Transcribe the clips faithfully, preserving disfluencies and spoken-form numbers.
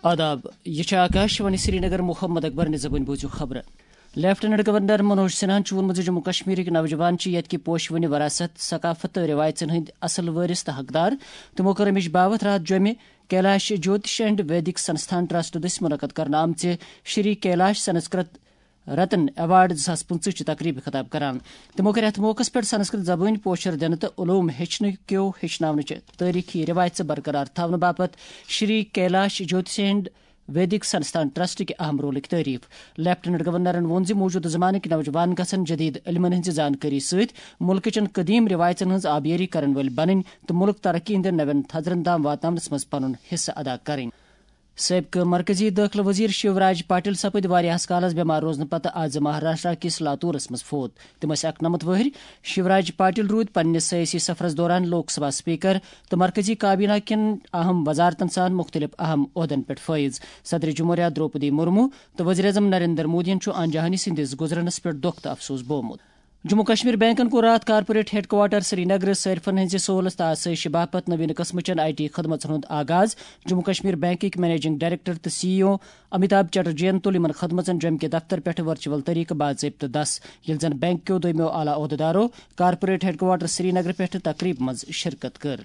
آداب، یہِ چھِ آکاش وانی سرینگر۔ محمد اکبر نِزبٲنۍ بوٗزِو خبرٕ۔ لیفٹیننٹ گورنر منوج سنہاہن چھُ ووٚنمُت زِ جموں کشمیرٕکۍ نوجوان چھِ یتھ کہِ پوشہِ وٕنہِ وراثت، ثقافت تہٕ رٮ۪وایژن ہٕنٛدۍ اصل وٲرث تہٕ حقدار۔ تِمو کٔر اَمِچ باوتھ راتھ جوٚمہِ کیلاش جوتش اینڈ ویدک سنستھان ٹرسٹ دٔسۍ منعقد کرنہٕ آمژِ شری کیلاش سنسکرت رتن ایوارڈ زٕ ساس پٕنٛژٕہ چہِ تقریبہِ خطاب کران۔ تِمو کٔر اتھ موقعس پٮ۪ٹھ سنسکرت زبٲنۍ پوشر دِنہٕ تہٕ علوم ہیٚچھنہٕ کیو ہیٚچھناونٕچہِ تٲریخی رٮ۪وایژٕ برقرار تھاونہٕ باپتھ شری کیلاش جوتش اینڈ ویدک سنستھان ٹرسٹ کہِ اہم رولٕکۍ تعریف۔ لیفٹیننٹ گورنرن ووٚن زِ موجودٕ زمانٕکۍ نوجوان گژھن جدید علمن ہٕنٛزِ زانکٲری سۭتۍ مُلکہٕ چٮ۪ن قدیم رٮ۪وایژن ہٕنٛز آبیٲری کرن وٲلۍ بنٕنۍ تہٕ مُلک ترقی ہٕنٛدٮ۪ن نوٮ۪ن تھزرن تام واتناونس منٛز پنُن حصہٕ ادا کرٕنۍ۔ سٲبقہٕ مرکزی دٲخلہٕ وزیر شیو راج پاٹل سپٕدۍ واریاہس کالس بٮ۪مار روزنہٕ پتہٕ آز مہاراشٹرا کِس لاتورس منٛز فوت۔ تِم ٲسۍ اَکنَمَتھ وٕہٕرۍ۔ شیوراج پاٹل روٗدۍ پننِس سیٲسی سفرس دوران لوک سبھا سپیکر تہٕ مرکزی کابینہ کٮ۪ن اہم وزارتن سان مُختٔلِف اہم عہدن پٮ۪ٹھ فٲیض۔ صدر جمہوریہ دروپدی مرمو تہٕ وزیر اعظم نریندر مودیَن چھُ آنجہانی سٕنٛدِس گُزرنس پٮ۪ٹھ دۄکھ تہٕ افسوس بوومُت۔ جموں کشمیر بینکن کوٚر راتھ کارپوریٹ ہیڈ کوارٹر سرینگر صٲرفن ہٕنٛزِ سہولت تہٕ آسٲیشہِ باپتھ نوین قٕسمٕچن آئی ٹی خدمژن ہُنٛد آغاز۔ جموں کشمیر بینکٕکۍ منیجنگ ڈائریکٹر تہٕ سی ای او امیتابھ چٹرجین تُل یِمن خدمژن جوٚمہِ کہِ دفتر پٮ۪ٹھٕ ورچوئل طریقہٕ باضٲبطہٕ دس، ییٚلہِ زن بینک کیو دوٚیمٮ۪و اعلیٰ عہدٕدارو کارپوریٹ ہیڈ کوارٹر سرینگر پٮ۪ٹھٕ تقریبہِ منٛز شرکت کٔر۔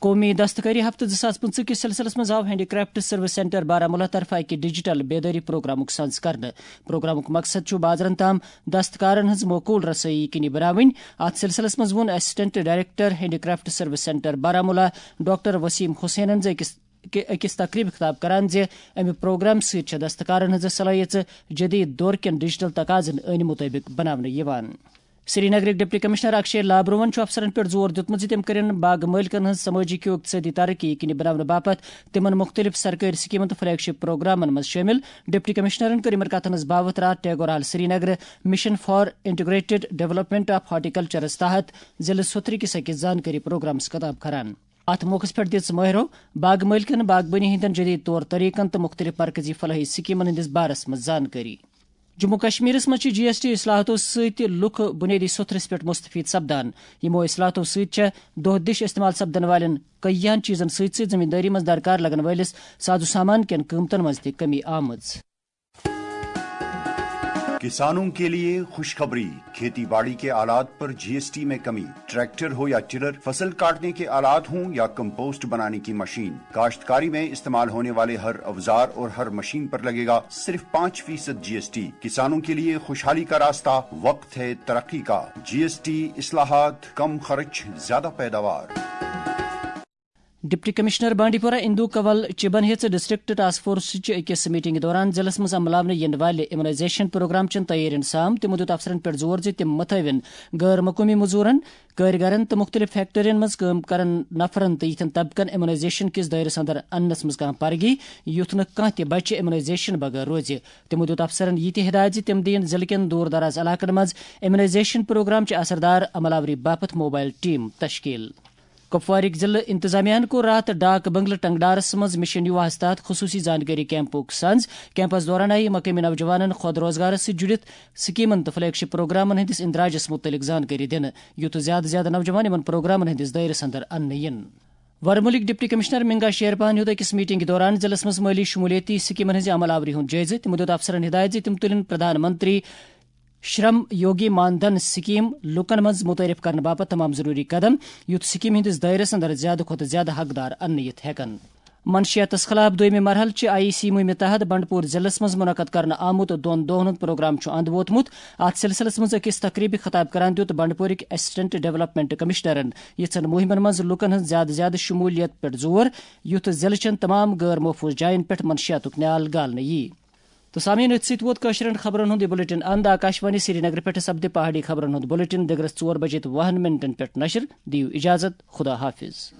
قومی دستکٲری ہفتہٕ زٕ ساس پٕنٛژٕہ کِس سلسلس منٛز آو handy craft service centre Baramulla طرفہٕ اکہِ ڈیجیٹل بیدٲری پروگرامُک سنز کرنہٕ۔ پروگرامُک مقصد چھُ بازرن تام دستکارن ہٕنٛز معقول رسٲیی یقینی بناوٕنۍ۔ اتھ سلسلس منٛز ووٚن assistant director handicraft service centre Baramulla doctor Waseem حسینن زِ أکِس کہِ أکِس تقریبہِ خطاب کران زِ امہِ پروگرام سۭتۍ چھےٚ دستکارن ہٕنٛز صلٲحیژٕ جدید دور کٮ۪ن ڈیجیٹل تقاضن أنۍ مُطٲبِق بناونہٕ یِوان۔ سرینگرٕکۍ ڈپٹی کمشنر اکشے لابروہن چھُ افسرن پٮ۪ٹھ زور دیُتمُت زِ تِم کٔرِن باغ مٲلکن ہٕنٛز سمٲجی تہٕ اقتصٲدی ترقی یقینی بناونہٕ باپتھ تِمن مُختٔلِف سرکٲرۍ سکیمن تہٕ فلیگ شپ پروگرامن منٛز شٲمِل۔ ڈپٹی کمشنرن کٔر یِمن کتھن ہٕنٛز باوتھ راتھ Tagore hall Srinagar mission for integrated development of ہارٹیکلچرس تحت ضلعہٕ سوتھرٕ کِس أکِس زانکٲری پروگرامس خطاب کران۔ اتھ موقعس پٮ۪ٹھ دِژ مٲہرو باغ مٲلکن باغبٲنی ہٕنٛدٮ۪ن جدید طور طریقن تہٕ مُختٔلِف مرکزی فلاحی سکیمن ہٕنٛدِس بارس منٛز زانکٲری۔ جموں کشمیرس منٛز چھِ جی ایس ٹی اصلاحاتو سۭتۍ لُکھ بُنیٲدی سوٚتھرس پٮ۪ٹھ مستفید سپدان۔ یِمو اصلاحاتو سۭتۍ چھےٚ دۄہ دِش استعمال سپدن والٮ۪ن کٔہیاہن چیزن سۭتۍ سۭتۍ زمیندٲری منٛز درکار لگن وٲلِس ساز و سامان کٮ۪ن قۭمتن منٛز تہِ کمی آمٕژ۔ کسانوں کے لیے خوشخبری، کھیتی باڑی کے آلات پر جی ایس ٹی میں کمی، ٹریکٹر ہو یا ٹلر، فصل کاٹنے کے آلات ہوں یا کمپوسٹ بنانے کی مشین، کاشتکاری میں استعمال ہونے والے ہر اوزار اور ہر مشین پر لگے گا صرف پانچ فیصد جی ایس ٹی۔ کسانوں کے لیے خوشحالی کا راستہ، وقت ہے ترقی کا۔ جی ایس ٹی، اصلاحات، کم خرچ، زیادہ پیداوار۔ ڈپٹی کمشنر بانڈی پورہ اندو کنول چبن ہیٚژ ڈسٹرکٹ ٹاسک فورس چہِ أکِس میٹنگ دوران ضلعس منٛز عملاونہٕ یِنہٕ والہِ امیونائزیشن پروگرام چٮ۪ن تیٲرین سام۔ تِمو دیُت افسرن پٮ۪ٹھ زور زِ تِم متھٲوِن غٲر مقٲمی مزورن، کٲرۍ گرن تہٕ مُختٔلِف فیکٹرین منٛز کٲم کرن نفرن تہٕ یِتھٮ۪ن طبقن امیونائزیشن کِس دٲیرس اندر اننس منٛز کانٛہہ پرگی، یُتھ نہٕ کانٛہہ تہِ بچہِ امیونائزیشن بغٲر روزِ۔ تِمو دیُت افسرن یہِ تہِ ہدایت زِ تِم دِیِن ضلعہٕ کٮ۪ن دوٗر دراز علاقن منٛز امیونائزیشن پروگرام چہِ اثردار عمل آوری باپتھ موبائل ٹیم تشکیل۔ کپوارٕکۍ ضلعہٕ انتظامیہ ہَن کوٚر راتھ ڈاک بنگلہٕ ٹنگڈارس منٛز مشن یوہاہس تحت خصوصی زانکٲری کیمپُک سنز۔ کیمپس دوران آیہِ مقٲمی نوجوانن خود روزگارس سۭتۍ جُڑِتھ سکیمن تہٕ فلیگ شپ پروگرامن ہٕنٛدِس اندراجس مُتعلق زانکٲری دِنہٕ، یُتھ زیادٕ زیادٕ نوجوان یِمن پروگرامن ہٕنٛدِس دٲیرس اندر اننہٕ یِن۔ ورمُلٕکۍ ڈپٹی کمشنر منگا شیرپاہن ہیوٚت أکِس میٹنگہِ دوران ضلعس منٛز مٲلی شمولیتی سکیمن ہٕنٛزِ عمل آوری ہُنٛد جٲیزٕ۔ تِمو دیُت افسرن ہدایت زِ تِم تُلِن پردھان منتری شرم یوگی مان دھن سکیم لوٗکن منٛز متعارف کرنہٕ باپتھ تمام ضروری قدم، یُتھ سکیمہِ ہٕنٛدِس دٲیرس اندر زیادٕ کھۄتہٕ زیادٕ حقدار اننہٕ یِتھ ہٮ۪کن۔ منشیاتس خلاف دویمہِ مرحلہٕ چہِ آئی سی مُہِمہِ تحت بنڈپور ضلعس منٛز منعقد کرنہٕ آمُت دۄن دۄہن ہُنٛد پروگرام چھُ اند ووتمُت۔ اتھ سلسلس منٛز أکِس تقریبہِ خطاب کران دیُت بنڈپورٕکۍ اسسٹنٹ ڈیولپمنٹ کمشنرن یِژھن مُہِمن منٛز لوٗکن ہٕنٛز زیادٕ زیادٕ شمولیت پٮ۪ٹھ زور، یُتھ ضلعہٕ چٮ۪ن تمام غٲر محفوظ جاین پٮ۪ٹھ منشیاتُک نیال گالنہٕ یِیہِ۔ تہٕ سامعین، أتھۍ سۭتۍ ووت کٲشرٮ۪ن خبرن ہُنٛد یہِ بلیٹن اند۔ آکاش وانی سرینگرٕ پٮ۪ٹھٕ سپدِ پہاڑی خبرن ہُنٛد بلیٹن دِگرس ژور بجے تہٕ وُہن منٹن پٮ۪ٹھ نشر۔ دِیِو اجازت، خدا حافظ۔